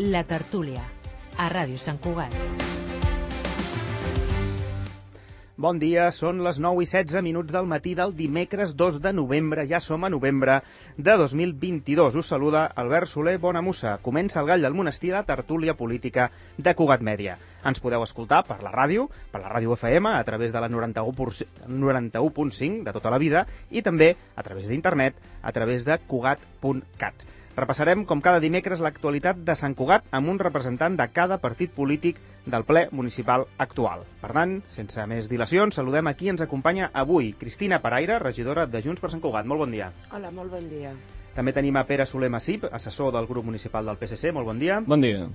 La Tertúlia, a Ràdio Sant Cugat. Bon dia, són les 9:16 del matí del dimecres 2 de novembre. Ja som a novembre de 2022. Us saluda Albert Soler Bonamussa. Comença el Gall del Monestir, la tertúlia política de Cugat Mèdia. Ens podeu escoltar per la ràdio FM, a través de la 91.5 de tota la vida, i també a través d'internet, a través de cugat.cat. Repassarem, com cada dimecres, l'actualitat de Sant Cugat amb un representant de cada partit polític del ple municipal actual. Per tant, sense més dilacions, saludem a qui ens acompanya avui. Cristina Paraire, regidora de Junts per Sant Cugat. Molt bon dia. Hola, molt bon dia. També tenim a Pere Soler Massip, assessor del grup municipal del PSC. Molt bon dia. Bon dia.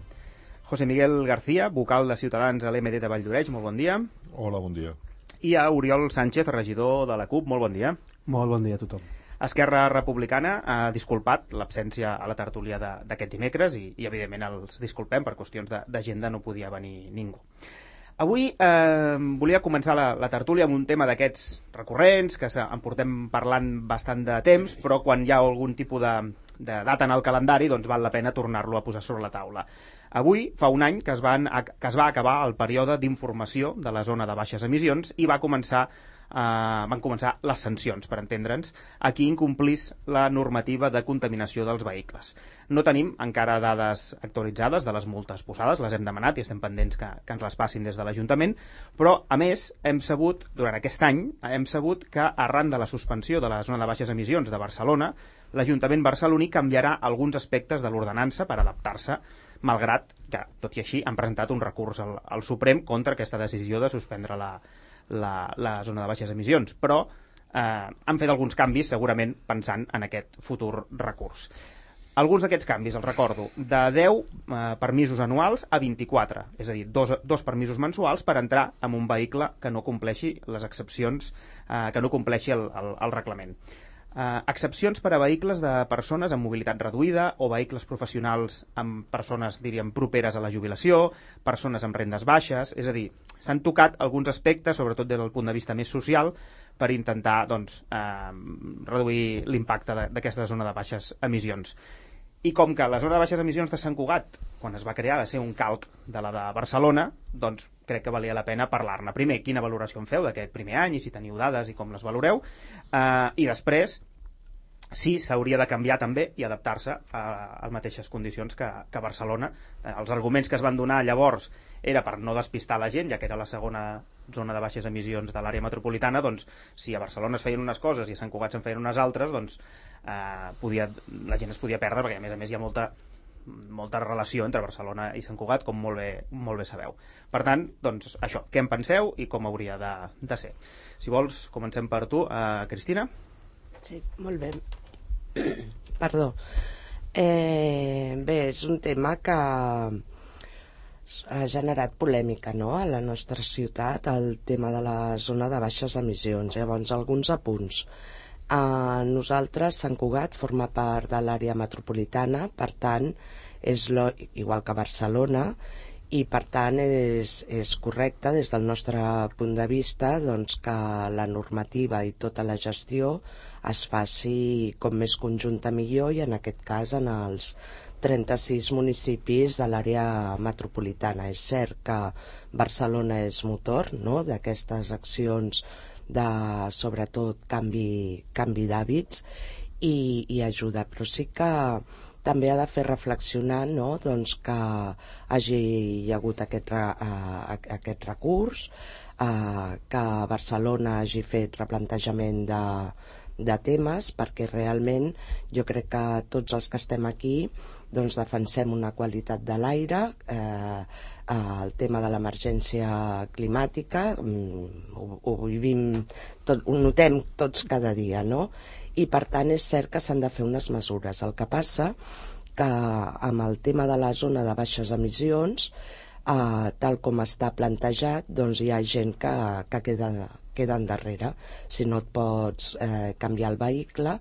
José Miguel García, vocal de Ciutadans a l'MD de Valldoreix. Molt bon dia. Hola, bon dia. I a Oriol Sánchez, regidor de la CUP. Molt bon dia. Molt bon dia a tothom. Esquerra Republicana ha disculpat l'absència a la tertúlia d'aquest dimecres i evidentment els disculpem, per qüestions d'agenda no podia venir ningú. Avui volia començar la tertúlia amb un tema d'aquests recurrents, que en portem parlant bastant de temps, però quan hi ha algun tipus de data en el calendari, doncs val la pena tornar-lo a posar sobre la taula. Avui fa un any que es va acabar el període d'informació de la zona de baixes emissions i van començar les sancions, per entendre'ns, a qui incomplís la normativa de contaminació dels vehicles. No tenim encara dades actualitzades de les multes posades, les hem demanat i estem pendents que ens les passin des de l'Ajuntament, però, a més, durant aquest any, hem sabut que, arran de la suspensió de la zona de baixes emissions de Barcelona, l'Ajuntament barceloní canviarà alguns aspectes de l'ordenança per adaptar-se, malgrat que, tot i així, han presentat un recurs al Suprem contra aquesta decisió de suspendre la zona de baixes emissions, però han fet alguns canvis segurament pensant en aquest futur recurs. Alguns d'aquests canvis, els recordo, de 10 permisos anuals a 24, és a dir, dos permisos mensuals per entrar en un vehicle que no compleixi les excepcions, que no compleixi el reglament. Excepcions per a vehicles de persones amb mobilitat reduïda o vehicles professionals amb persones, diríem, properes a la jubilació, persones amb rendes baixes, és a dir, s'han tocat alguns aspectes, sobretot des del punt de vista més social, per intentar reduir l'impacte d'aquesta zona de baixes emissions. I com que la zona de baixes emissions de Sant Cugat, quan es va crear, va ser un calc de la de Barcelona, doncs crec que valia la pena parlar-ne. Primer, quina valoració en feu d'aquest primer any i si teniu dades i com les valoreu, i després, si s'hauria de canviar també i adaptar-se a les mateixes condicions que Barcelona. Els arguments que es van donar llavors era per no despistar la gent, ja que era la segona zona de baixes emissions de l'àrea metropolitana, doncs si a Barcelona es feien unes coses i a Sant Cugat se'n feien unes altres, doncs la gent es podia perdre, perquè a més hi ha molta relació entre Barcelona i Sant Cugat, com molt bé sabeu. Per tant, doncs això, què en penseu i com hauria de ser. Si vols, comencem per tu, Cristina. Sí, molt bé. Perdó. Bé, és un tema que ha generat polèmica, no?, a la nostra ciutat, el tema de la zona de baixes emissions. Llavors, alguns apunts. Nosaltres, Sant Cugat, forma part de l'àrea metropolitana, per tant, és igual que Barcelona, i per tant és correcte des del nostre punt de vista doncs, que la normativa i tota la gestió es faci com més conjunta millor, i en aquest cas en els 36 municipis de l'àrea metropolitana. És cert que Barcelona és motor, no?, d'aquestes accions de, sobretot, canvi d'hàbits i ajuda, però sí que també ha de fer reflexionar, no?, doncs que hagi hagut aquest recurs, que Barcelona hagi fet replantejament de temes, perquè realment jo crec que tots els que estem aquí doncs defensem una qualitat de l'aire, el tema de l'emergència climàtica, ho vivim, ho notem tots cada dia, no?, i per tant és cert que s'han de fer unes mesures. El que passa que amb el tema de la zona de baixes emissions, tal com està plantejat, doncs hi ha gent que queda endarrere. Si no et pots canviar el vehicle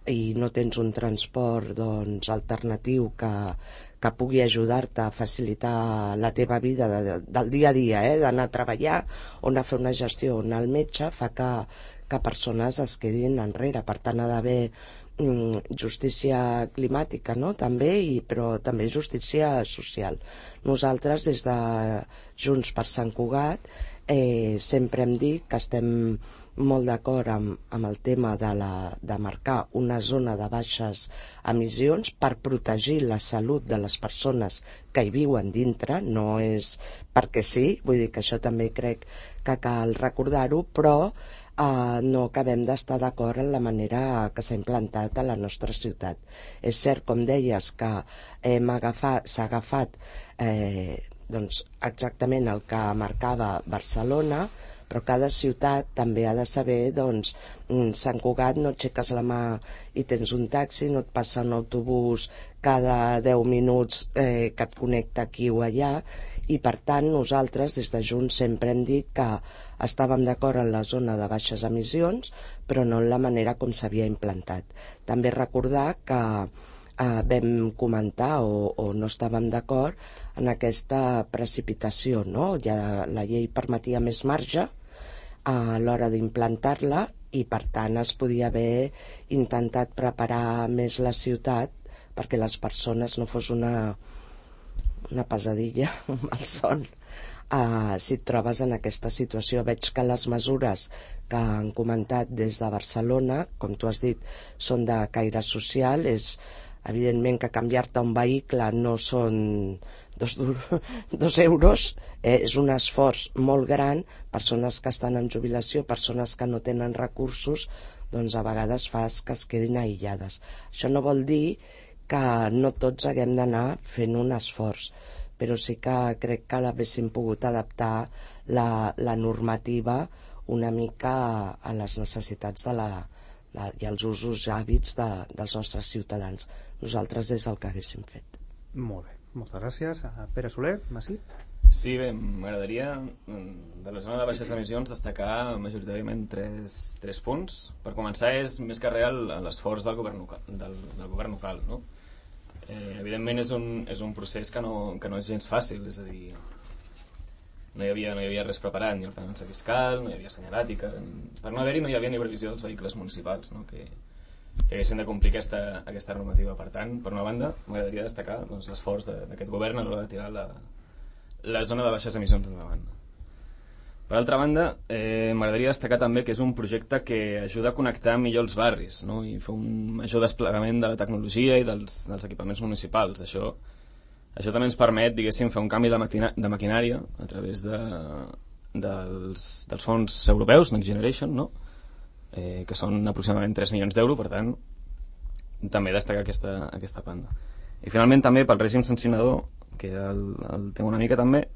i no tens un transport alternatiu que pugui ajudar-te a facilitar la teva vida del dia a dia, d'anar a treballar o anar a fer una gestió o anar al metge, fa que persones es quedin enrere. Per tant, ha d'haver justícia climàtica, no? També, però també justícia social. Nosaltres, des de Junts per Sant Cugat, sempre hem dit que estem molt d'acord amb el tema de marcar una zona de baixes emissions per protegir la salut de les persones que hi viuen dintre, no és perquè sí, vull dir que això també crec que cal recordar-ho, però no acabem d'estar d'acord en la manera que s'ha implantat a la nostra ciutat. És cert, com deies, que s'ha agafat doncs, exactament el que marcava Barcelona, però cada ciutat també ha de saber, doncs, Sant Cugat no aixeques la mà i tens un taxi, no et passa un autobús cada 10 minuts que et connecta aquí o allà, i per tant nosaltres des de Junts sempre hem dit que estàvem d'acord en la zona de baixes emissions, però no en la manera com s'havia implantat. També recordar que vam comentar o no estàvem d'acord en aquesta precipitació, no? Ja la llei permetia més marge a l'hora d'implantar-la i per tant es podia haver intentat preparar més la ciutat perquè les persones no fos una pesadilla el son. Si et trobes en aquesta situació, veig que les mesures que han comentat des de Barcelona, com tu has dit, són de caire social. És evidentment que canviar-te un vehicle no són 2 euros, és un esforç molt gran. Persones que estan en jubilació, persones que no tenen recursos, doncs a vegades fas que es quedin aïllades. Això no vol dir que no tots haguem d'anar fent un esforç, però sí que crec que l'haguéssim pogut adaptar la normativa una mica a les necessitats i als usos i hàbits dels nostres ciutadans. Nosaltres és el que haguéssim fet. Molt bé, moltes gràcies. Pere Soler, Masí? Sí, bé, m'agradaria de la zona de baixes emissions destacar majoritàriament tres punts. Per començar, és més que real l'esforç del govern local, no? Evidentment és un procés que no és gens fàcil, és a dir, no hi havia res preparat, ni ordenança fiscal, no hi havia senyalàtica, per no haver-hi no hi havia ni previsió dels vehicles municipals, no? que haguessin de complir aquesta normativa. Per tant, per una banda, m'agradaria destacar l'esforç d'aquest govern a l'hora de tirar la zona de baixes emissions endavant. Per altra banda, m'agradaria destacar també que és un projecte que ajuda a connectar millor els barris, no? I fer un major desplegament de la tecnologia i dels equipaments municipals. Això també ens permet, diguéssim, fer un canvi de maquinària a través dels fons europeus, Next Generation, no? Que són aproximadament 3 milions d'euros, per tant, també destacar aquesta banda. I finalment també pel règim sancionador, que el té una mica també,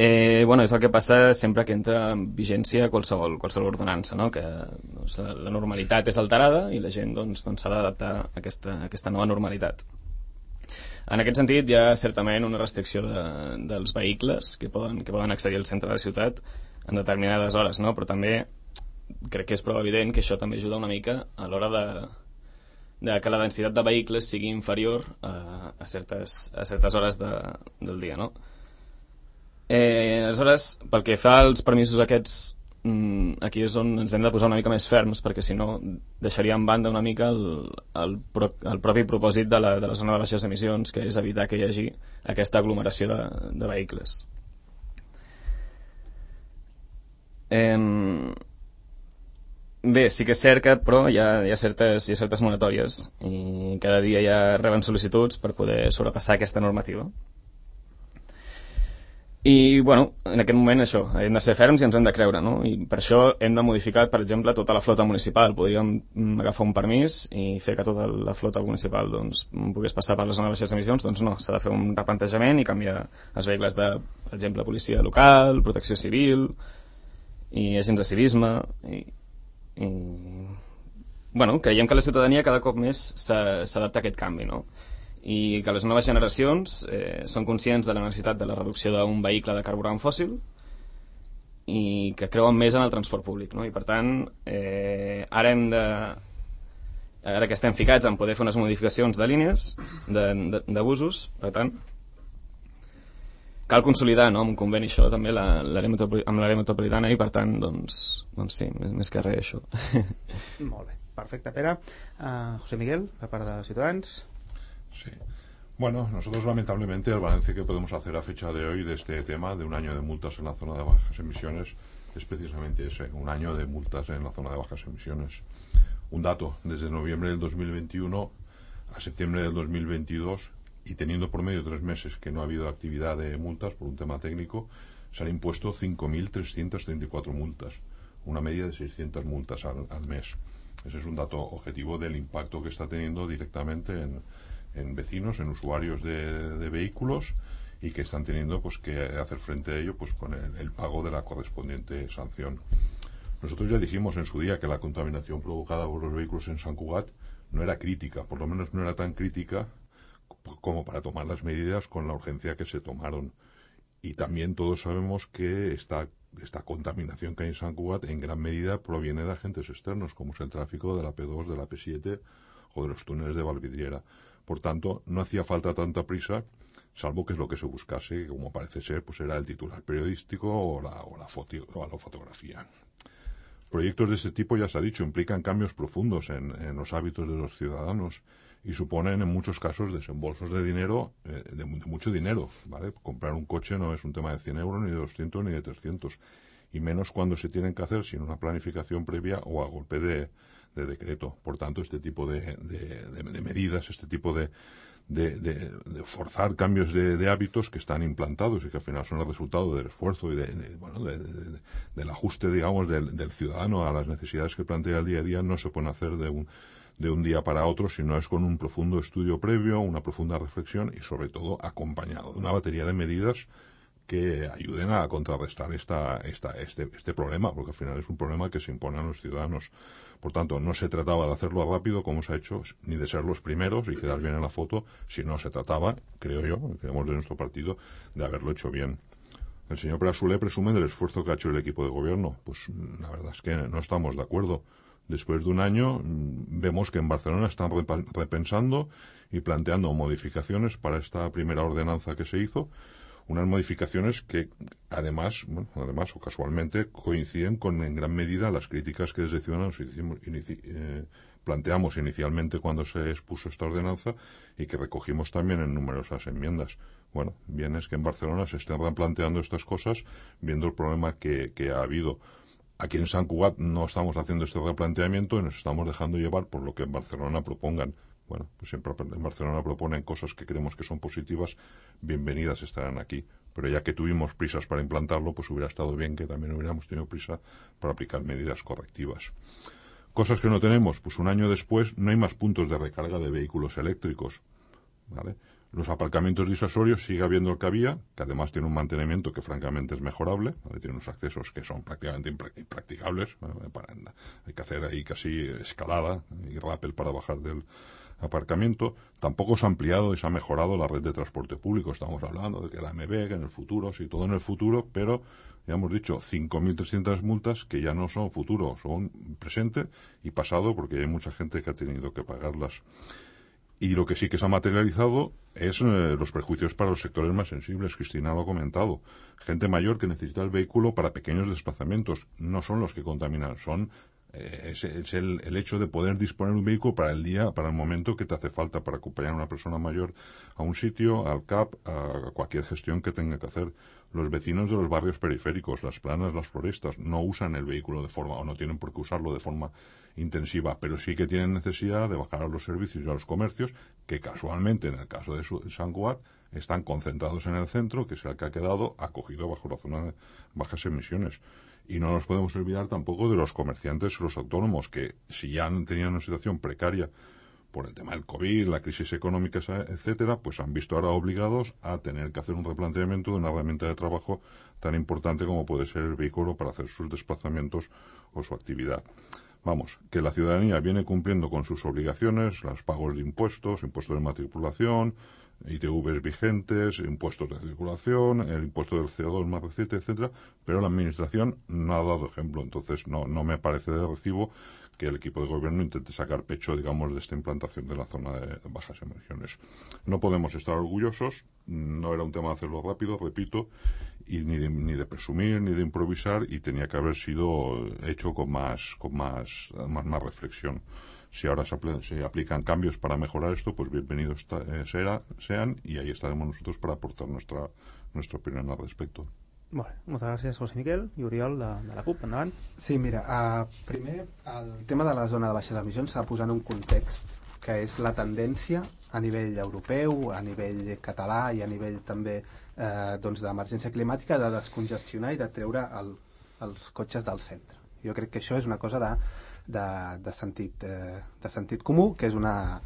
és el que passa sempre que entra en vigència qualsevol ordenança, no? Que la normalitat és alterada i la gent s'ha d'adaptar a aquesta nova normalitat. En aquest sentit hi ha certament una restricció dels vehicles que poden accedir al centre de la ciutat en determinades hores, no? Però també crec que és prou evident que això també ajuda una mica a l'hora de que la densitat de vehicles sigui inferior a certes hores del dia, no? Aleshores, pel que fa als permisos aquests, aquí és on ens hem de posar una mica més ferms, perquè si no deixaria en banda una mica el propi propòsit de la zona de baixes emissions, que és evitar que hi hagi aquesta aglomeració de vehicles. Bé, sí que és cert que però hi ha certes moratòries i cada dia ja reben sol·licituds per poder sobrepassar aquesta normativa. I, en aquest moment això, hem de ser ferms i ens hem de creure, no? I per això hem de modificar, per exemple, tota la flota municipal. Podríem agafar un permís i fer que tota la flota municipal pogués passar per la zona de baixes emissions. Doncs no, s'ha de fer un replantejament i canviar els vehicles de, per exemple, policia local, protecció civil i agents de civisme creiem que la ciutadania cada cop més s'adapta a aquest canvi, no? I que les noves generacions són conscients de la necessitat de la reducció d'un vehicle de carburant fòssil i que creuen més en el transport públic, no? I per tant ara que estem ficats en poder fer unes modificacions de línies de busos, per tant cal consolidar, no, amb un conveni això també amb l'àrea metropolitana i per tant doncs sí, més que res això. Molt bé. Perfecte, Pere. José Miguel, per part de Ciutadans. Sí. Bueno, nosotros lamentablemente el balance que podemos hacer a fecha de hoy de este tema, de un año de multas en la zona de bajas emisiones, es precisamente ese, un año de multas en la zona de bajas emisiones. Un dato, desde noviembre del 2021 a septiembre del 2022, y teniendo por medio 3 meses que no ha habido actividad de multas por un tema técnico, se han impuesto 5.334 multas, una media de 600 multas al mes. Ese es un dato objetivo del impacto que está teniendo directamente en vecinos, en usuarios de vehículos, y que están teniendo pues que hacer frente a ello pues con el pago de la correspondiente sanción. Nosotros ya dijimos en su día que la contaminación provocada por los vehículos en Sant Cugat no era crítica, por lo menos no era tan crítica como para tomar las medidas con la urgencia que se tomaron. Y también todos sabemos que esta contaminación que hay en Sant Cugat en gran medida proviene de agentes externos, como es el tráfico de la P2, de la P7 o de los túneles de Valvidriera. Por tanto, no hacía falta tanta prisa, salvo que es lo que se buscase, como parece ser, pues era el titular periodístico o la fotografía. Proyectos de este tipo, ya se ha dicho, implican cambios profundos en los hábitos de los ciudadanos y suponen en muchos casos desembolsos de dinero, de mucho dinero, ¿vale? Comprar un coche no es un tema de 100 euros, ni de 200, ni de 300, y menos cuando se tienen que hacer sin una planificación previa o a golpe de decreto. Por tanto, este tipo de medidas, este tipo de forzar cambios de hábitos que están implantados y que al final son el resultado del esfuerzo y del ajuste, digamos, del ciudadano a las necesidades que plantea el día a día, no se pueden hacer de un día para otro, sino es con un profundo estudio previo, una profunda reflexión y sobre todo acompañado de una batería de medidas que ayuden a contrarrestar este problema, porque al final es un problema que se impone a los ciudadanos. Por tanto, no se trataba de hacerlo rápido, como se ha hecho, ni de ser los primeros y quedar bien en la foto, sino se trataba, creo yo, creemos de nuestro partido, de haberlo hecho bien. El señor Perasolé presume del esfuerzo que ha hecho el equipo de gobierno. Pues la verdad es que no estamos de acuerdo. Después de un año vemos que en Barcelona están repensando y planteando modificaciones para esta primera ordenanza que se hizo, unas modificaciones que además o casualmente coinciden con en gran medida las críticas que desde Ciudadanos planteamos inicialmente cuando se expuso esta ordenanza y que recogimos también en numerosas enmiendas. Bueno, bien es que en Barcelona se estén replanteando estas cosas viendo el problema que ha habido. Aquí en Sant Cugat no estamos haciendo este replanteamiento y nos estamos dejando llevar por lo que en Barcelona propongan. Bueno, pues siempre en Barcelona proponen cosas que creemos que son positivas, bienvenidas estarán aquí. Pero ya que tuvimos prisas para implantarlo, pues hubiera estado bien que también hubiéramos tenido prisa para aplicar medidas correctivas. Cosas que no tenemos, pues un año después no hay más puntos de recarga de vehículos eléctricos, ¿vale? Los aparcamientos disuasorios sigue habiendo el que había, que además tiene un mantenimiento que francamente es mejorable, ¿vale? Tiene unos accesos que son prácticamente impracticables, ¿vale? Hay que hacer ahí casi escalada y rappel para bajar del aparcamiento. Tampoco se ha ampliado y se ha mejorado la red de transporte público. Estamos hablando de que la MB, que en el futuro, sí, todo en el futuro, pero ya hemos dicho 5.300 multas que ya no son futuro, son presente y pasado, porque hay mucha gente que ha tenido que pagarlas. Y lo que sí que se ha materializado es los perjuicios para los sectores más sensibles. Cristina lo ha comentado. Gente mayor que necesita el vehículo para pequeños desplazamientos. No son los que contaminan, son es el hecho de poder disponer de un vehículo para el día, para el momento que te hace falta para acompañar a una persona mayor a un sitio, al CAP, a cualquier gestión que tenga que hacer. Los vecinos de los barrios periféricos, las planas, las florestas, no usan el vehículo de forma, o no tienen por qué usarlo de forma intensiva, pero sí que tienen necesidad de bajar a los servicios y a los comercios, que casualmente, en el caso de Sant Cugat, están concentrados en el centro, que es el que ha quedado acogido bajo la zona de bajas emisiones. Y no nos podemos olvidar tampoco de los comerciantes, los autónomos, que si ya tenían una situación precaria por el tema del COVID, la crisis económica, etcétera, pues han visto ahora obligados a tener que hacer un replanteamiento de una herramienta de trabajo tan importante como puede ser el vehículo para hacer sus desplazamientos o su actividad. Vamos, que la ciudadanía viene cumpliendo con sus obligaciones, los pagos de impuestos, impuestos de matriculación, ITVs vigentes, impuestos de circulación, el impuesto del CO2 más reciente, etcétera, pero la administración no ha dado ejemplo. Entonces no me parece de recibo que el equipo de gobierno intente sacar pecho, digamos, de esta implantación de la zona de bajas emisiones. No podemos estar orgullosos, no era un tema de hacerlo rápido, repito, y ni de presumir, ni de improvisar, y tenía que haber sido hecho con más reflexión. Si ahora se aplican cambios para mejorar esto, pues bienvenidos sean, y ahí estaremos nosotros para aportar nuestra opinión al respecto. Molt bé, moltes gràcies, José Miquel i Oriol de la CUP, endavant. Sí, mira, primer el tema de la zona de baixes emissions s'ha de posar en un context que és la tendència a nivell europeu, a nivell català i a nivell també d'emergència climàtica de descongestionar i de treure els cotxes del centre. Jo crec que això és una cosa de sentit comú, que és una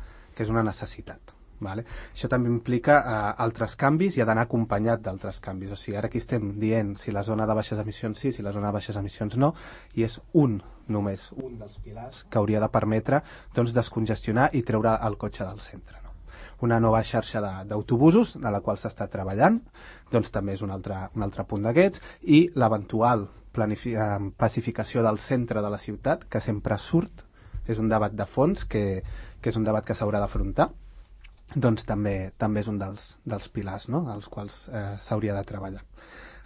necessitat. Vale? Això també implica altres canvis i ha d'anar acompanyat d'altres canvis. O sigui, ara aquí estem dient si la zona de baixes emissions sí, si la zona de baixes emissions no, i és només un dels pilars que hauria de permetre descongestionar i treure el cotxe del centre. No? Una nova xarxa d'autobusos, de la qual s'està treballant, també és un altre punt d'aquests, i l'eventual pacificació del centre de la ciutat, que sempre surt, és un debat de fons, que és un debat que s'haurà d'afrontar, també és un dels pilars, no?, als quals s'hauria de treballar.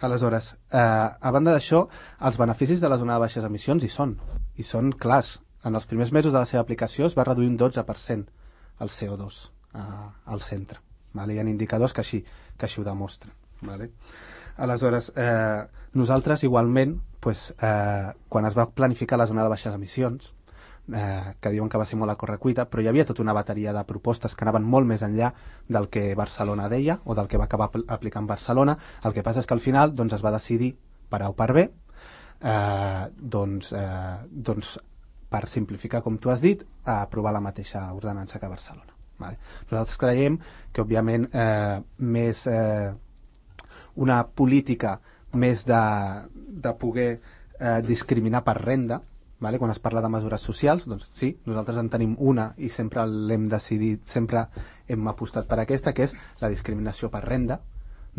Aleshores, a banda d'això, els beneficis de la zona de baixes emissions hi són clars. En els primers mesos de la seva aplicació es va reduir un 12% el CO2 al centre. Vale? Hi ha indicadors que així ho demostren. Vale? Aleshores, nosaltres igualment, quan es va planificar la zona de baixes emissions, que diuen que va ser molt a correcuita, però hi havia tota una bateria de propostes que anaven molt més enllà del que Barcelona deia o del que va acabar aplicant Barcelona. El que passa és que al final es va decidir per A o per B, per simplificar, com tu has dit, a aprovar la mateixa ordenança que Barcelona. Vale. Nosaltres creiem que, òbviament, una política més de poder discriminar per renda. Vale? Quan es parla de mesures socials, doncs sí, nosaltres en tenim una i sempre l'hem decidit, sempre hem apostat per aquesta, que és la discriminació per renda,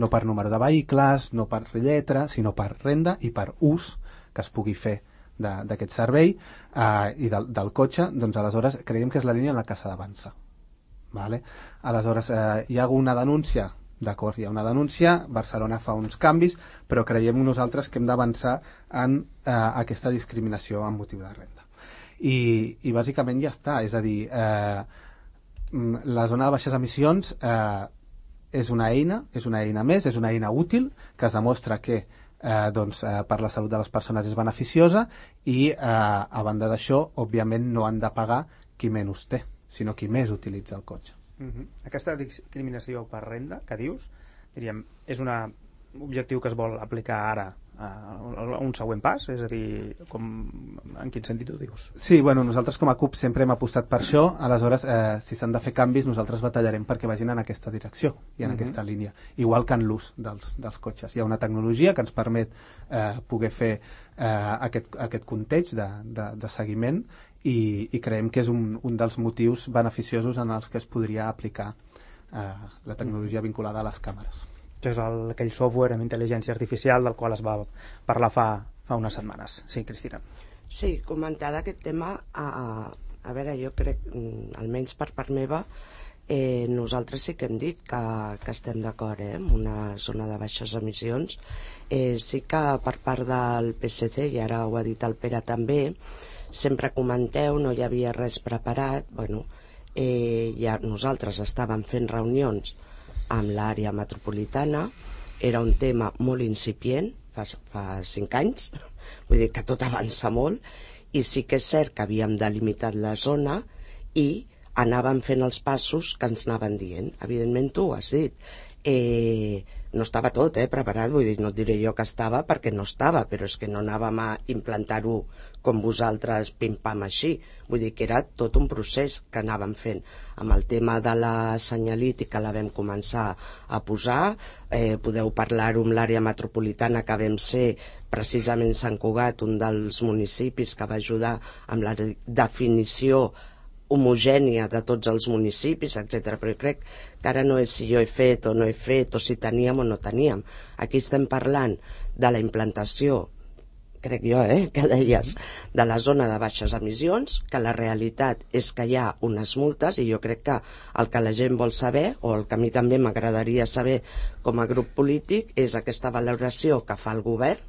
no per número de vehicles, no per lletra, sinó per renda i per ús que es pugui fer d'aquest servei i del cotxe. Doncs aleshores creiem que és la línia en la que s'ha d'avançar. Vale? Aleshores, hi ha una denúncia. D'acord, hi ha una denúncia, Barcelona fa uns canvis, però creiem nosaltres que hem d'avançar en aquesta discriminació amb motiu de renda. I bàsicament ja està, és a dir, la zona de baixes emissions és una eina més, és una eina útil, que es demostra que per la salut de les persones és beneficiosa i, a banda d'això, òbviament no han de pagar qui menys té, sinó qui més utilitza el cotxe. Aquesta discriminació per renda que dius, diríem, és un objectiu que es vol aplicar ara a un següent pas? És a dir, en quin sentit ho dius? Sí, bueno, nosaltres com a CUP sempre hem apostat per això. Aleshores, si s'han de fer canvis, nosaltres batallarem perquè vagin en aquesta direcció i en aquesta línia, igual que en l'ús dels cotxes. Hi ha una tecnologia que ens permet poder fer aquest context de seguiment i creiem que és un dels motius beneficiosos en els que es podria aplicar la tecnologia vinculada a les càmeres. Que és aquell software amb intel·ligència artificial del qual es va parlar fa unes setmanes. Sí, Cristina. Sí, comentar d'aquest tema, a veure, jo crec, almenys per part meva, nosaltres sí que hem dit que estem d'acord amb una zona de baixes emissions. Sí que per part del PSC, i ara ho ha dit el Pere també, sempre comenteu, no hi havia res preparat. Bueno, ja nosaltres estàvem fent reunions amb l'àrea metropolitana, era un tema molt incipient, fa 5 anys, vull dir que tot avança molt, i sí que és cert que havíem delimitat la zona i anàvem fent els passos que ens anaven dient. Evidentment tu ho has dit, no estava tot preparat, vull dir, no et diré jo que estava perquè no estava, però és que no anàvem a implantar-ho com vosaltres pim-pam així, vull dir que era tot un procés que anàvem fent. Amb el tema de la senyalítica la vam començar a posar, podeu parlar-ho amb l'àrea metropolitana, que vam ser precisament Sant Cugat, un dels municipis que va ajudar amb la definició homogènia de tots els municipis, etc. Però jo crec que ara no és si jo he fet o no he fet, o si teníem o no teníem. Aquí estem parlant de la implantació crec jo, que deies, de la zona de baixes emissions, que la realitat és que hi ha unes multes, i jo crec que el que la gent vol saber, o el que a mi també m'agradaria saber com a grup polític, és aquesta valoració que fa el govern.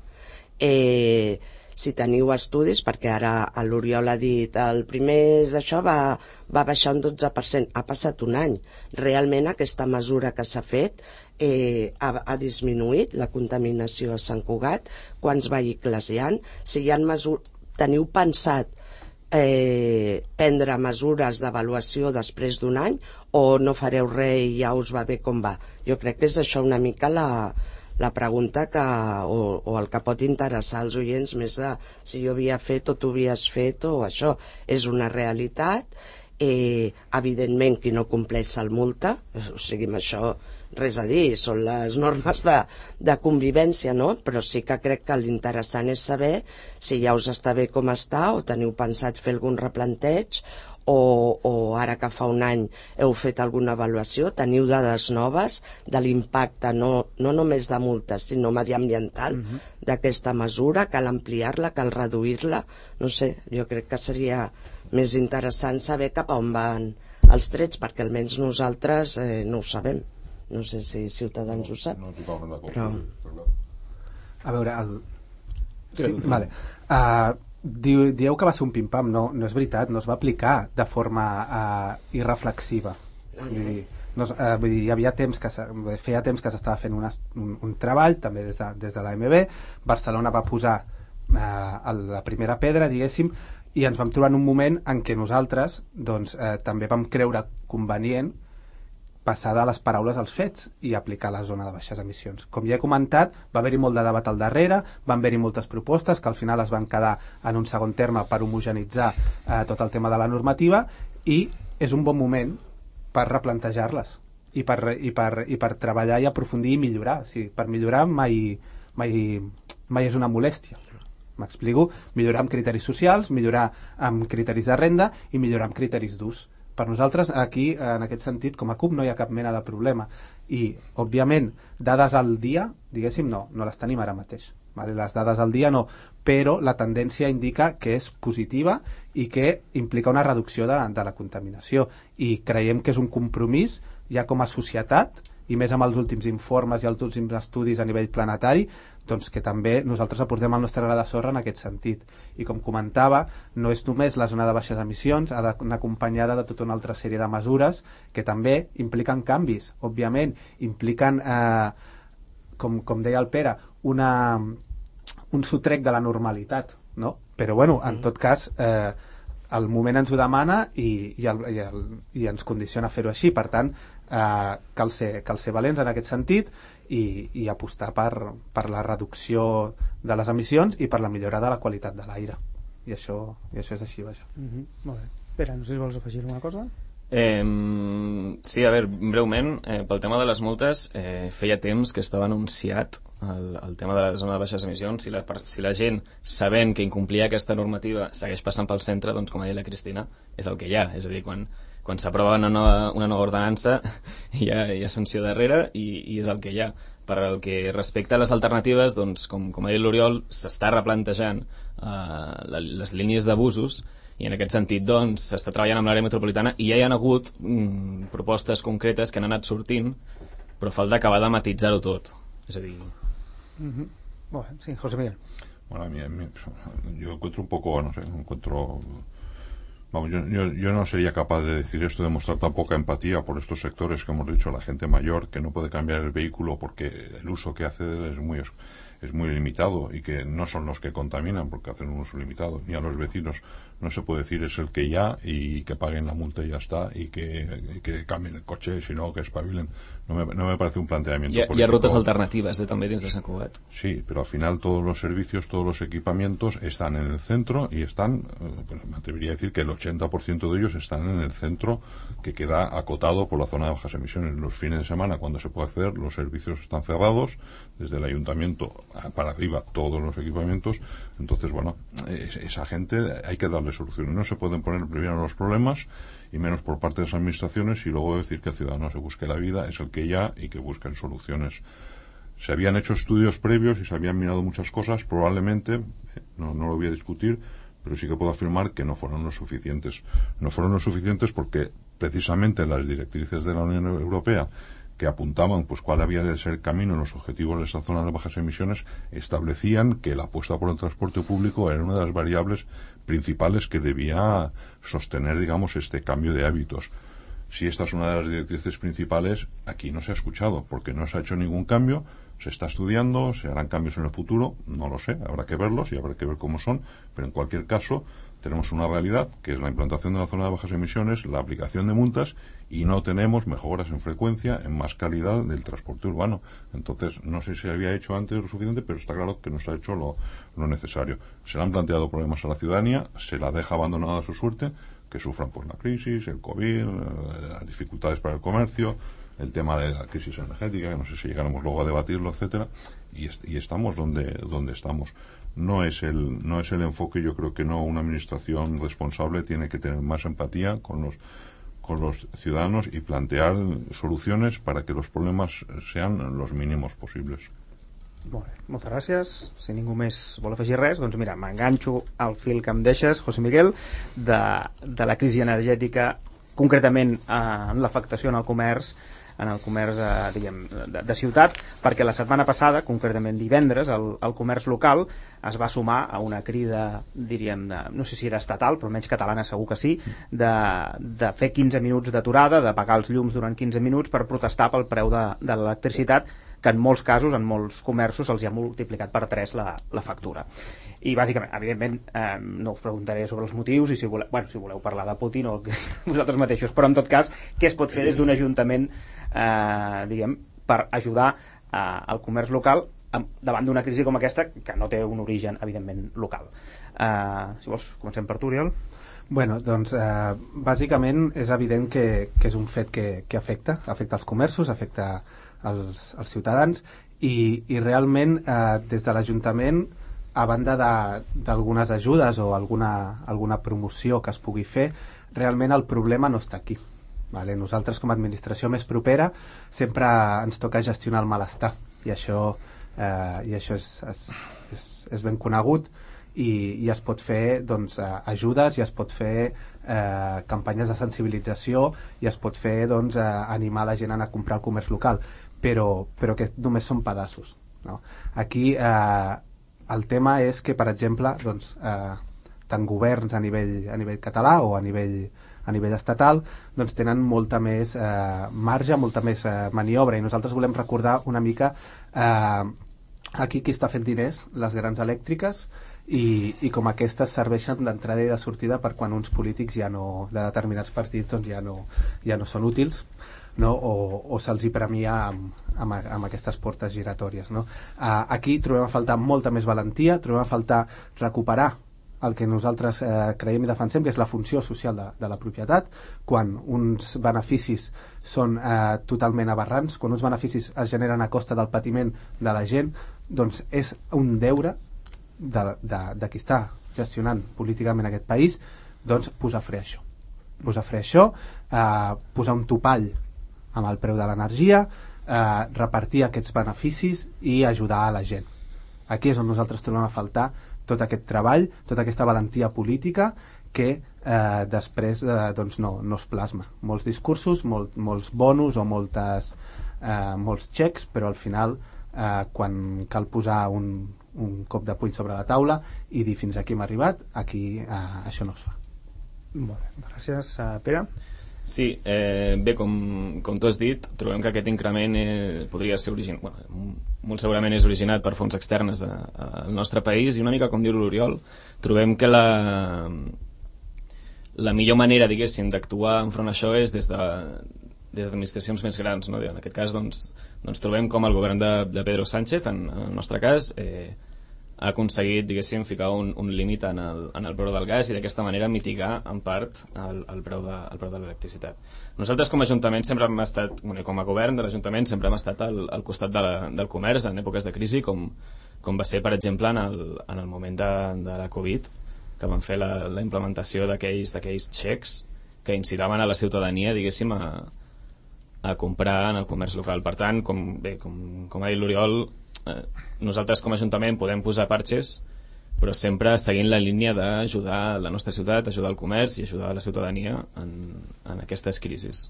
Si teniu estudis, perquè ara l'Oriol ha dit el primer d'això va baixar un 12%, ha passat un any. Realment aquesta mesura que s'ha fet ha disminuït la contaminació a Sant Cugat? Quants vehicles hi ha? Si hi ha teniu pensat prendre mesures d'avaluació després d'un any, o no fareu res i ja us va bé com va? Jo crec que és això una mica la pregunta o el que pot interessar als oients, més de si jo havia fet o tu havies fet, o això és una realitat. Evidentment qui no compleix se'l multa, o sigui, amb això res a dir, són les normes de convivència, no? Però sí que crec que l'interessant és saber si ja us està bé com està, o teniu pensat fer algun replanteig, o ara que fa un any heu fet alguna avaluació, teniu dades noves de l'impacte no només de multes sinó mediambiental d'aquesta mesura, cal ampliar-la, cal reduir-la, no sé, jo crec que seria més interessant saber cap a on van els trets, perquè almenys nosaltres no ho sabem. No sé si Ciutadans ho sap. No, totalment d'acord. Però... A veure, vale. Dieu que va ser un pim-pam, no és veritat, no es va aplicar de forma irreflexiva. Vull dir, hi havia feia temps que s'estava fent un treball, també des de l'AMB. Barcelona va posar la primera pedra, diguéssim, i ens vam trobar en un moment en què nosaltres també vam creure convenient passar de les paraules als fets i aplicar la zona de baixes emissions. Com ja he comentat, va haver-hi molt de debat al darrere, van haver-hi moltes propostes que al final es van quedar en un segon terme per homogenitzar tot el tema de la normativa, i és un bon moment per replantejar-les i per treballar i aprofundir i millorar. O sigui, per millorar mai és una molèstia. M'explico? Millorar amb criteris socials, millorar amb criteris de renda i millorar amb criteris d'ús. Per nosaltres, aquí, en aquest sentit, com a CUP, no hi ha cap mena de problema. I, òbviament, dades al dia, diguéssim, no les tenim ara mateix. Vale? Les dades al dia no, però la tendència indica que és positiva i que implica una reducció de la contaminació. I creiem que és un compromís, ja com a societat, i més amb els últims informes i els últims estudis a nivell planetari, doncs que també nosaltres aportem el nostre gra de sorra en aquest sentit. I com comentava, no és només la zona de baixes emissions, ha d'anar acompanyada de tota una altra sèrie de mesures que també impliquen canvis, òbviament, impliquen, com deia el Pere, un sotrec de la normalitat, no? Però bueno, en tot cas, el moment ens ho demana i ens condiciona a fer-ho així. Per tant, cal ser valents en aquest sentit i apostar per la reducció de les emissions i per la millora de la qualitat de l'aire. I això és així, vaja. Molt bé. Pere, no sé si vols afegir alguna cosa? Sí, a veure, breument, pel tema de les multes, feia temps que estava anunciat el tema de la zona de baixes emissions. Si la gent, sabent que incomplia aquesta normativa, segueix passant pel centre, doncs, com ha dit la Cristina, és el que hi ha. És a dir, quan s'aprova una nova ordenança hi ha sanció darrere i és el que hi ha. Per el que respecta a les alternatives, doncs, com ha dit l'Oriol, s'està replantejant les línies d'abusos, i en aquest sentit doncs s'està treballant amb l'àrea metropolitana i ja hi ha hagut propostes concretes que han anat sortint, però falta acabar de matitzar-ho tot. És a dir... Molt bé, sí, José Miguel. Bueno, yo encuentro un poco, no sé, Vamos, yo no sería capaz de decir esto, de mostrar tan poca empatía por estos sectores que hemos dicho, la gente mayor que no puede cambiar el vehículo porque el uso que hace de él es muy limitado y que no son los que contaminan porque hacen un uso limitado, ni a los vecinos. No se puede decir es el que ya y que paguen la multa y ya está y que cambien el coche, sino que espabilen. No me parece un planteamiento político. Hi ha rutes alternatives també dins de Sant Cugat. Sí, pero al final todos los servicios, todos los equipamientos están en el centro y están, me atrevería a decir que el 80% de ellos están en el centro, que queda acotado por la zona de bajas emisiones. Los fines de semana, cuando se puede acceder, los servicios están cerrados, desde el ayuntamiento para arriba todos los equipamientos. Entonces, bueno, esa gente hay que darle soluciones. No se pueden poner primero los problemas y menos por parte de las administraciones y luego decir que el ciudadano se busque la vida, es el que ya, y que busquen soluciones Se habían hecho estudios previos y se habían mirado muchas cosas, probablemente, no lo voy a discutir, pero sí que puedo afirmar que no fueron lo suficientes. No fueron lo suficientes porque precisamente las directrices de la Unión Europea, que apuntaban pues cuál había de ser el camino en los objetivos de esta zona de bajas emisiones, establecían que la apuesta por el transporte público era una de las variables principales que debía sostener, digamos, este cambio de hábitos. Si esta es una de las directrices principales, aquí no se ha escuchado, porque no se ha hecho ningún cambio, se está estudiando, se harán cambios en el futuro, no lo sé, habrá que verlos y habrá que ver cómo son, pero en cualquier caso tenemos una realidad, que es la implantación de la zona de bajas emisiones, la aplicación de multas, y no tenemos mejoras en frecuencia, en más calidad del transporte urbano. Entonces, no sé si se había hecho antes lo suficiente, pero está claro que no se ha hecho lo necesario. Se le han planteado problemas a la ciudadanía, se la deja abandonada a su suerte, que sufran por la crisis, el COVID, las dificultades para el comercio, el tema de la crisis energética, que no sé si llegaremos luego a debatirlo, etcétera, y estamos donde estamos. No es el enfoque. Yo creo que no. Una administración responsable tiene que tener más empatía con los ciudadanos y plantear soluciones para que los problemas sean los mínimos posibles. Molt bé, moltes gràcies. Si ningú més vol afegir res, doncs mira, m'enganxo al fil que em deixes, José Miguel, de la crisi energètica, concretament en l'afectació en el comerç, diguem, de ciutat, perquè la setmana passada, concretament divendres, el comerç local es va sumar a una crida, diríem, no sé si era estatal, però almenys catalana segur que sí, de fer 15 minuts d'aturada, de pagar els llums durant 15 minuts per protestar pel preu de l'electricitat, que en molts casos, en molts comerços, se'ls ha multiplicat per 3 la factura. I bàsicament, evidentment, no us preguntaré sobre els motius i si voleu parlar de Putin o vosaltres mateixos, però en tot cas, què es pot fer des d'un ajuntament, diguem, per ajudar al comerç local davant d'una crisi com aquesta, que no té un origen, evidentment, local. Si vols, comencem per tu, Oriol. Bueno, doncs, bàsicament és evident que és un fet que afecta els comerços, afecta als ciutadans i realment des de l'Ajuntament, a banda d'algunes ajudes o alguna promoció que es pugui fer, realment el problema no està aquí. Vale? Nosaltres com a administració més propera sempre ens toca gestionar el malestar i això és ben conegut i es pot fer doncs, ajudes i es pot fer campanyes de sensibilització i es pot fer doncs, animar la gent a anar a comprar el comerç local, però que només són pedaços, no? Aquí el tema és que, per exemple, doncs, tant governs a nivell català o a nivell estatal doncs tenen molta més marge, molta més maniobra, i nosaltres volem recordar una mica aquí qui està fent diners, les grans elèctriques, i com aquestes serveixen d'entrada i de sortida per quan uns polítics de determinats partits doncs ja no són útils, no? O se'ls hi premia amb aquestes portes giratòries, no? Aquí trobem a faltar molta més valentia, trobem a faltar recuperar el que nosaltres creiem i defensem, que és la funció social de la propietat, quan uns beneficis són totalment aberrants, quan uns beneficis es generen a costa del patiment de la gent, doncs és un deure de qui està gestionant políticament aquest país, doncs posar fre a això. Posar un topall amb el preu de l'energia, repartir aquests beneficis i ajudar a la gent. Aquí és on nosaltres trobem a faltar tot aquest treball, tota aquesta valentia política que després doncs no es plasma. Molts discursos, molts bonus o molts xecs, però al final quan cal posar un cop de puny sobre la taula i dir fins aquí hem arribat, aquí això no es fa. Molt bé, gràcies. Pere? Sí, bé, com tu has dit, trobem que aquest increment podria ser molt segurament és originat per fonts externes al nostre país, i una mica com diu l'Oriol, trobem que la millor manera, diguéssim, d'actuar enfront a això és des d'administracions més grans, no? En aquest cas doncs trobem com el govern de Pedro Sánchez, en el nostre cas, ha aconseguit, diguéssim, ficar un límit en el preu del gas i d'aquesta manera mitigar en part el preu de l'electricitat. Nosaltres com a Ajuntament sempre hem estat, com a govern de l'Ajuntament sempre hem estat al costat del comerç en èpoques de crisi, com va ser, per exemple, en el moment de la Covid, que van fer la implementació d'aquells xecs que incitaven a la ciutadania, diguéssim, a comprar en el comerç local. Per tant, com ha dit l'Oriol, nosaltres com a Ajuntament podem posar parxes, però sempre seguint la línia d'ajudar la nostra ciutat, ajudar el comerç i ajudar la ciutadania en aquestes crisis.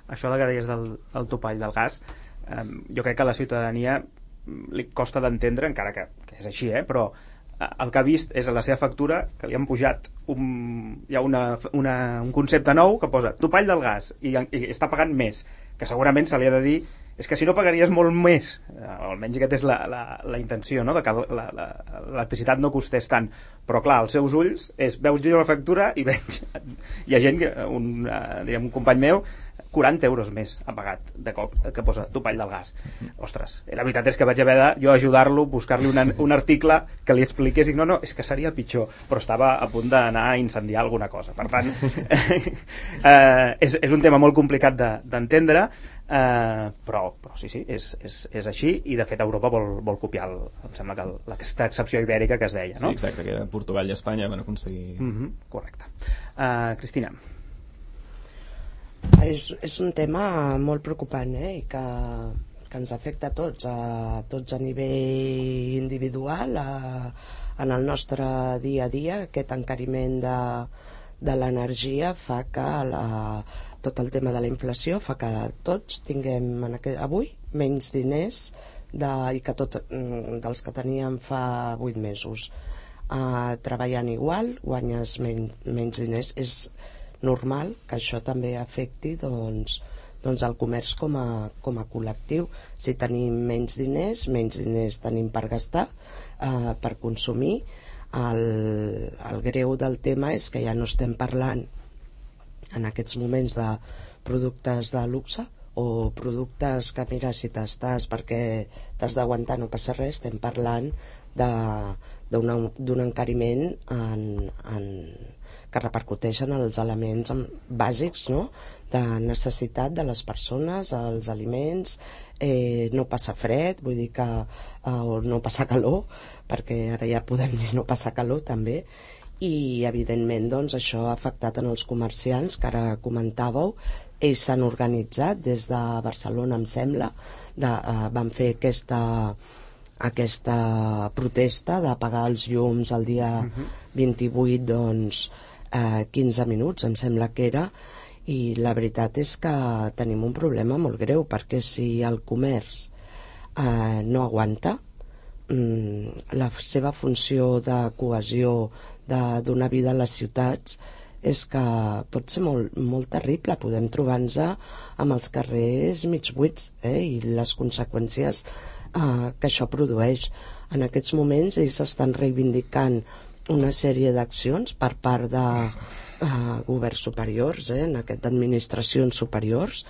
Això que deies del topall del gas, jo crec que a la ciutadania li costa d'entendre, encara que és així, però el que ha vist és a la seva factura que li han pujat hi ha un concepte nou que posa topall del gas i està pagant més, que segurament se li ha de dir és que si no pagaries molt més, almenys aquesta és la intenció, no? De que l'electricitat no costés tant, però clar, als seus ulls veus jo la factura i veig hi ha gent, un company meu 40 euros més ha pagat de cop, que posa topall del gas. Ostres, la veritat és que vaig haver de jo ajudar-lo, buscar-li un article que li expliqués, i no, és que seria pitjor, però estava a punt d'anar a incendiar alguna cosa. Per tant, és un tema molt complicat d'entendre, però sí, és així, i de fet Europa vol copiar em sembla que aquesta excepció ibèrica que es deia, no? Sí, exacte, que Portugal i Espanya van aconseguir... Correcte. Cristina. És un tema molt preocupant, i que ens afecta a tots a nivell individual, en el nostre dia a dia. Aquest encariment de l'energia fa que tot el tema de la inflació fa que tots tinguem avui menys diners i que dels que teníem fa 8 mesos. Treballant igual, guanyes menys diners. És normal que això també afecti doncs el comerç com a col·lectiu. Si tenim menys diners tenim per gastar, per consumir. El greu del tema és que ja no estem parlant en aquests moments de productes de luxe o productes que, mira, si t'estàs perquè t'has d'aguantar no passa res. Estem parlant d'un encariment que repercuteix en els elements bàsics, no? De necessitat de les persones, els aliments, no passa fred, vull dir que o no passa calor, perquè ara ja podem dir no passa calor també, i evidentment doncs això ha afectat en els comerciants que ara comentàveu. Ells s'han organitzat des de Barcelona, em sembla, van fer aquesta protesta de pagar els llums el dia 28, doncs 15 minuts em sembla que era, i la veritat és que tenim un problema molt greu, perquè si el comerç no aguanta, la seva funció de cohesió, de donar vida a les ciutats, és que pot ser molt, molt terrible. Podem trobar-nos amb els carrers mig buits, i les conseqüències que això produeix. En aquests moments ells estan reivindicant una sèrie d'accions per part de governs superiors, d'administracions superiors.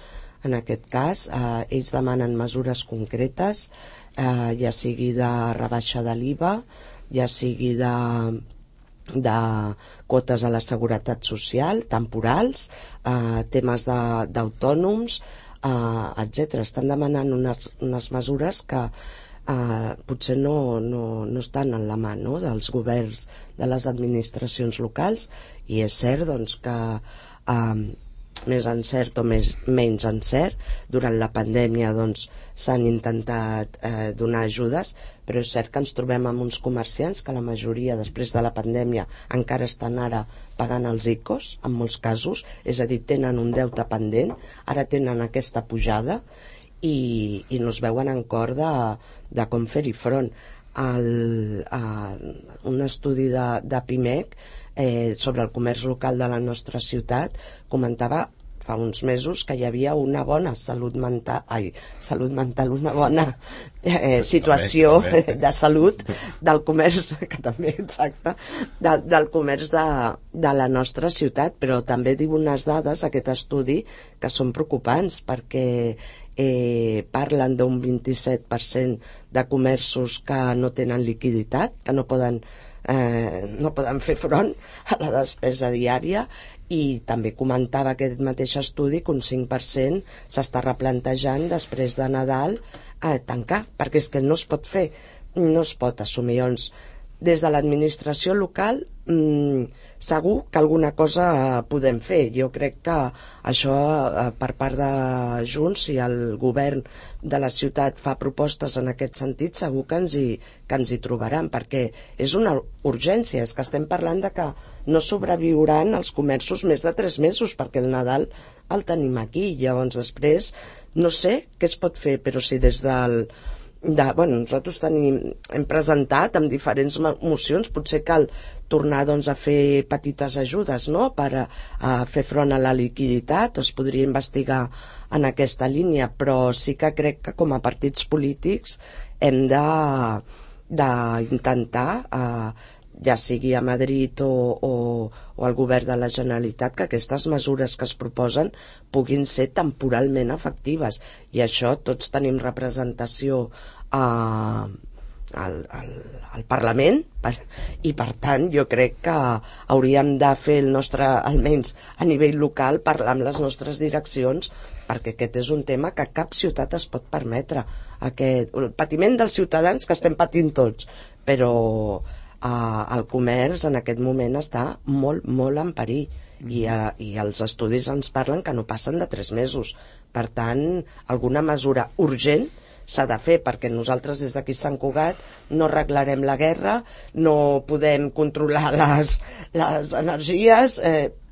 En aquest cas, ells demanen mesures concretes, ja sigui de rebaixa de l'IVA, ja sigui de quotes a la seguretat social, temporals, temes d'autònoms, etc. Estan demanant unes mesures que potser no estan en la mà, no?, dels governs, de les administracions locals, i és cert doncs, que més encert o menys encert, durant la pandèmia doncs, s'han intentat donar ajudes, però és cert que ens trobem amb uns comerciants que la majoria després de la pandèmia encara estan ara pagant els ICOs, en molts casos, és a dir, tenen un deute pendent, ara tenen aquesta pujada, i no es veuen en cor de com fer-hi front. Un estudi de PIMEC sobre el comerç local de la nostra ciutat comentava fa uns mesos que hi havia una bona salut mental, una bona situació de salut del comerç, que també, exacte, del comerç de la nostra ciutat, però també diu unes dades, aquest estudi, que són preocupants, perquè parlen d'un 27% de comerços que no tenen liquiditat, que no poden fer front a la despesa diària, i també comentava aquest mateix estudi que un 5% s'està replantejant després de Nadal tancar, perquè és que no es pot fer, no es pot assumir. Des de l'administració local segur que alguna cosa podem fer. Jo crec que això per part de Junts, si el govern de la ciutat fa propostes en aquest sentit, segur que ens hi trobaran, perquè és una urgència. És que estem parlant de que no sobreviuran els comerços més de 3 mesos, perquè el Nadal el tenim aquí. Llavors després no sé què es pot fer, però si des del nosaltres hem presentat amb diferents mocions, potser cal tornar a fer petites ajudes, no?, per a fer front a la liquiditat. Es podria investigar en aquesta línia, però sí que crec que com a partits polítics hem d'intentar, ja sigui a Madrid o al govern de la Generalitat, que aquestes mesures que es proposen puguin ser temporalment efectives. I això tots tenim representació al Parlament, i per tant jo crec que hauríem de fer el nostre, almenys a nivell local, parlar amb les nostres direccions, perquè aquest és un tema que cap ciutat es pot permetre. El patiment dels ciutadans, que estem patint tots, però el comerç en aquest moment està molt, molt en perill, i els estudis ens parlen que no passen de 3 mesos. Per tant, alguna mesura urgent s'ha de fer, perquè nosaltres des d'aquí a Sant Cugat no arreglarem la guerra, no podem controlar les energies,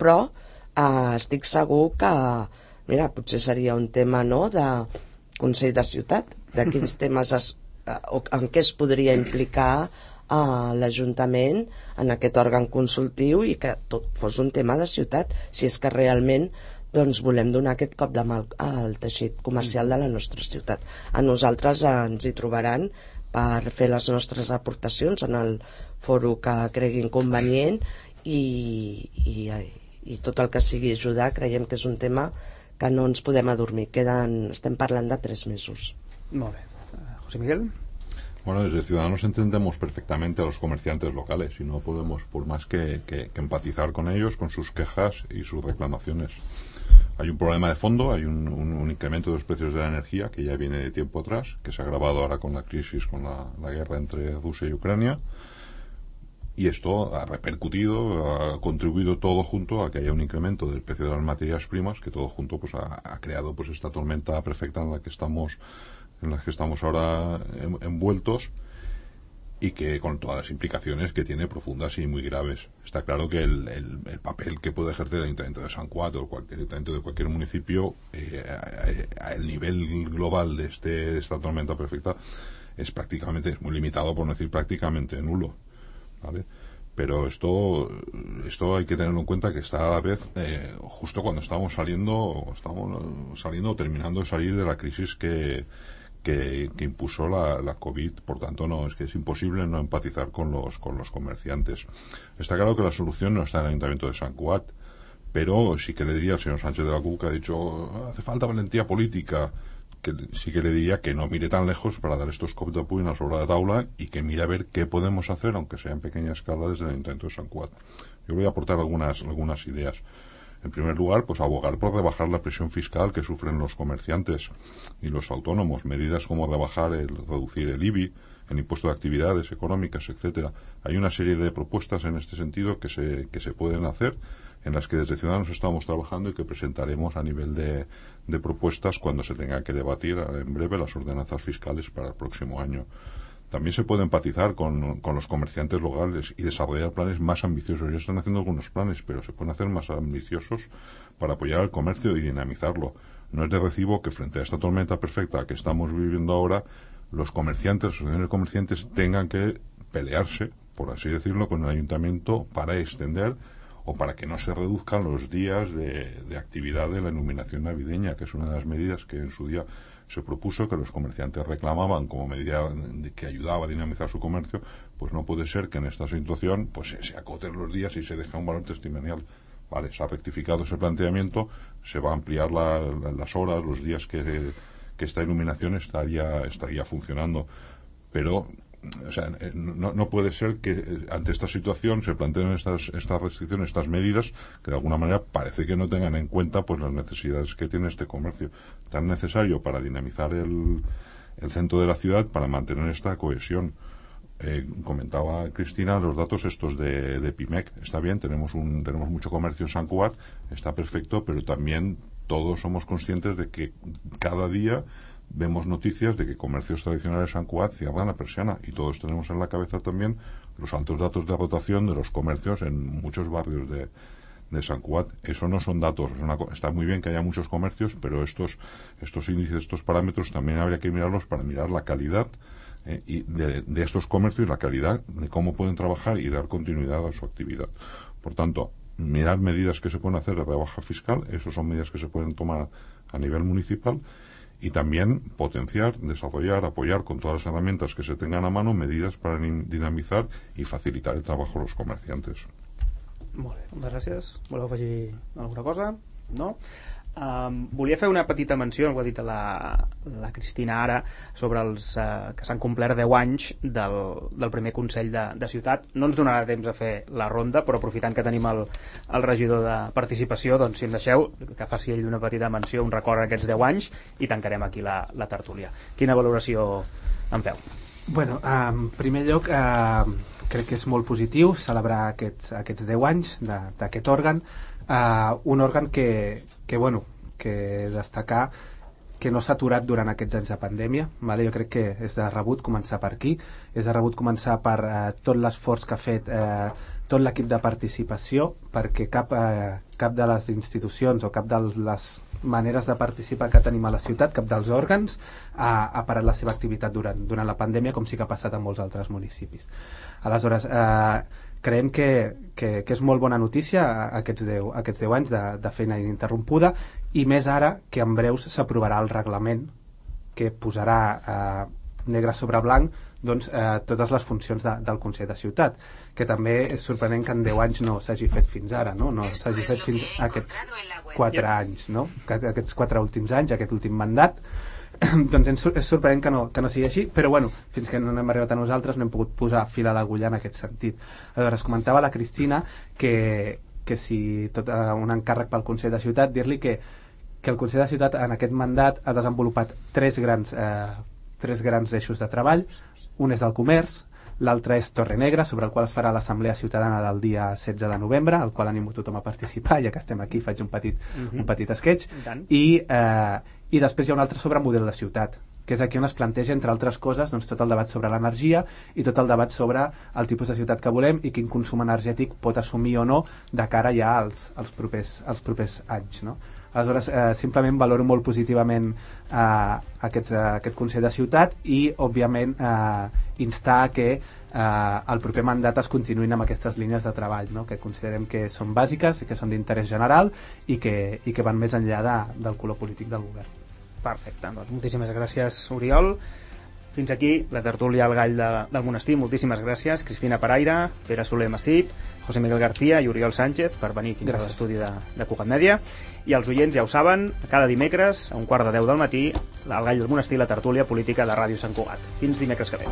però estic segur que, mira, potser seria un tema, no?, de Consell de Ciutat, de quins temes en què es podria implicar l'Ajuntament en aquest òrgan consultiu, i que tot fos un tema de ciutat, si és que realment volem donar aquest cop de mà al teixit comercial de la nostra ciutat. A nosaltres ens hi trobaran per fer les nostres aportacions en el foro que creguin convenient, i tot el que sigui ajudar. Creiem que és un tema que no ens podem adormir. Estem parlant de 3 mesos. Molt bé. José Miguel. Bueno, desde Ciudadanos entendemos perfectamente a los comerciantes locales y no podemos, por más que empatizar con ellos, con sus quejas y sus reclamaciones. Hay un problema de fondo, hay un incremento de los precios de la energía que ya viene de tiempo atrás, que se ha agravado ahora con la crisis, con la guerra entre Rusia y Ucrania, y esto ha repercutido, ha contribuido todo junto a que haya un incremento del precio de las materias primas, que todo junto pues ha creado pues esta tormenta perfecta en la que estamos ahora envueltos, y que con todas las implicaciones que tiene profundas y muy graves. Está claro que el papel que puede ejercer el Ayuntamiento de Sant Cugat o cualquier ayuntamiento de cualquier municipio al nivel global de esta tormenta perfecta es muy limitado, por no decir prácticamente nulo, ¿vale? Pero esto hay que tenerlo en cuenta, que está a la vez justo cuando estamos saliendo o terminando de salir de la crisis que impuso la COVID. Por tanto, es imposible no empatizar con los comerciantes. Está claro que la solución no está en el Ayuntamiento de Sant Cugat, pero sí que le diría al señor Sánchez de la CUP, que ha dicho hace falta valentía política, que sí que le diría que no mire tan lejos para dar estos cops de puny sobre la taula, y que mire a ver qué podemos hacer, aunque sea en pequeña escala, desde el Ayuntamiento de Sant Cugat. Yo voy a aportar algunas ideas. En primer lugar, pues abogar por rebajar la presión fiscal que sufren los comerciantes y los autónomos. Medidas como reducir el IBI, el impuesto de actividades económicas, etcétera. Hay una serie de propuestas en este sentido que se pueden hacer, en las que desde Ciudadanos estamos trabajando y que presentaremos a nivel de propuestas cuando se tenga que debatir en breve las ordenanzas fiscales para el próximo año. También se puede empatizar con los comerciantes locales y desarrollar planes más ambiciosos. Ya están haciendo algunos planes, pero se pueden hacer más ambiciosos para apoyar al comercio y dinamizarlo. No es de recibo que frente a esta tormenta perfecta que estamos viviendo ahora, los comerciantes, las asociaciones de comerciantes, tengan que pelearse, por así decirlo, con el ayuntamiento para extender o para que no se reduzcan los días de actividad de la iluminación navideña, que es una de las medidas que en su día se propuso, que los comerciantes reclamaban como medida que ayudaba a dinamizar su comercio. Pues no puede ser que en esta situación pues se acoten los días y se deja un valor testimonial. Vale, se ha rectificado ese planteamiento, se va a ampliar las horas, los días que esta iluminación estaría funcionando, pero o sea, no puede ser que ante esta situación se planteen estas restricciones, estas medidas, que de alguna manera parece que no tengan en cuenta pues las necesidades que tiene este comercio tan necesario para dinamizar el centro de la ciudad, para mantener esta cohesión. comentaba Cristina los datos estos de PIMEC. Está bien, tenemos mucho comercio en Sant Cugat, está perfecto, pero también todos somos conscientes de que cada día vemos noticias de que comercios tradicionales de Sant Cugat cierran la persiana, y todos tenemos en la cabeza también los altos datos de agotación de los comercios en muchos barrios de Sant Cugat. Eso no son datos, está muy bien que haya muchos comercios, pero estos índices, estos parámetros también habría que mirarlos para mirar la calidad y de estos comercios, la calidad de cómo pueden trabajar y dar continuidad a su actividad. Por tanto, mirar medidas que se pueden hacer de rebaja fiscal, esas son medidas que se pueden tomar a nivel municipal, y también potenciar, desarrollar, apoyar con todas las herramientas que se tengan a mano medidas para dinamizar y facilitar el trabajo de los comerciantes. Molt bé, moltes gràcies. Voleu afegir alguna cosa? No? Volia fer una petita menció, ho ha dit la Cristina ara, sobre els que s'han complert 10 anys del primer Consell de Ciutat. No ens donarà temps a fer la ronda, però aprofitant que tenim el regidor de Participació, doncs si em deixeu que faci ell una petita menció, un record a aquests 10 anys, i tancarem aquí la tertúlia. Quina valoració en feu? Bueno, en primer lloc, crec que és molt positiu celebrar aquests 10 anys d'aquest òrgan, un òrgan que destacar que no s'ha aturat durant aquests anys de pandèmia, vale? Jo crec que és de rebut començar per aquí, és de rebut començar per tot l'esforç que ha fet tot l'equip de participació, perquè cap de les institucions o cap de les maneres de participar que tenim a la ciutat, cap dels òrgans ha parat la seva activitat durant la pandèmia, com sí que ha passat en molts altres municipis. Aleshores, creiem que és molt bona notícia aquests 10 anys de feina ininterrompuda, i més ara que en breus s'aprovarà el reglament que posarà negre sobre blanc totes les funcions del Consell de Ciutat, que també és sorprenent que en 10 anys no s'hagi fet fins ara, no s'hagi fet fins a aquests 4 anys, no? Aquests 4 últims anys, aquest últim mandat. Doncs és sorprenent que no sigui així, però bueno, fins que no hem arribat a nosaltres no hem pogut posar fil a l'agulla en aquest sentit. Aleshores, comentava la Cristina que si tot un encàrrec pel Consell de Ciutat, dir-li que el Consell de Ciutat en aquest mandat ha desenvolupat tres grans eixos de treball. Un és el comerç, l'altre és Torrenegra, sobre el qual es farà l'Assemblea Ciutadana del dia 16 de novembre, al qual animo tothom a participar, ja que estem aquí faig un petit sketch, i després hi ha un altre sobre model de ciutat, que és aquí on es planteja, entre altres coses, tot el debat sobre l'energia i tot el debat sobre el tipus de ciutat que volem i quin consum energètic pot assumir o no de cara ja als propers anys, no? Aleshores, simplement valoro molt positivament aquest Consell de Ciutat i, òbviament, instar a que el proper mandat es continuïn amb aquestes línies de treball, no? Que considerem que són bàsiques i que són d'interès general i que van més enllà del color polític del govern. Perfecte, doncs moltíssimes gràcies, Oriol. Fins aquí la tertúlia al Gall del Monestir. Moltíssimes gràcies, Cristina Paraire, Pere Soler Massip, José Miguel García i Oriol Sánchez per venir fins a l'estudi de Cugat Mèdia. I els oients ja ho saben, cada dimecres a 9:15 del matí al Gall del Monestir, la tertúlia política de Ràdio Sant Cugat. Fins dimecres que ve.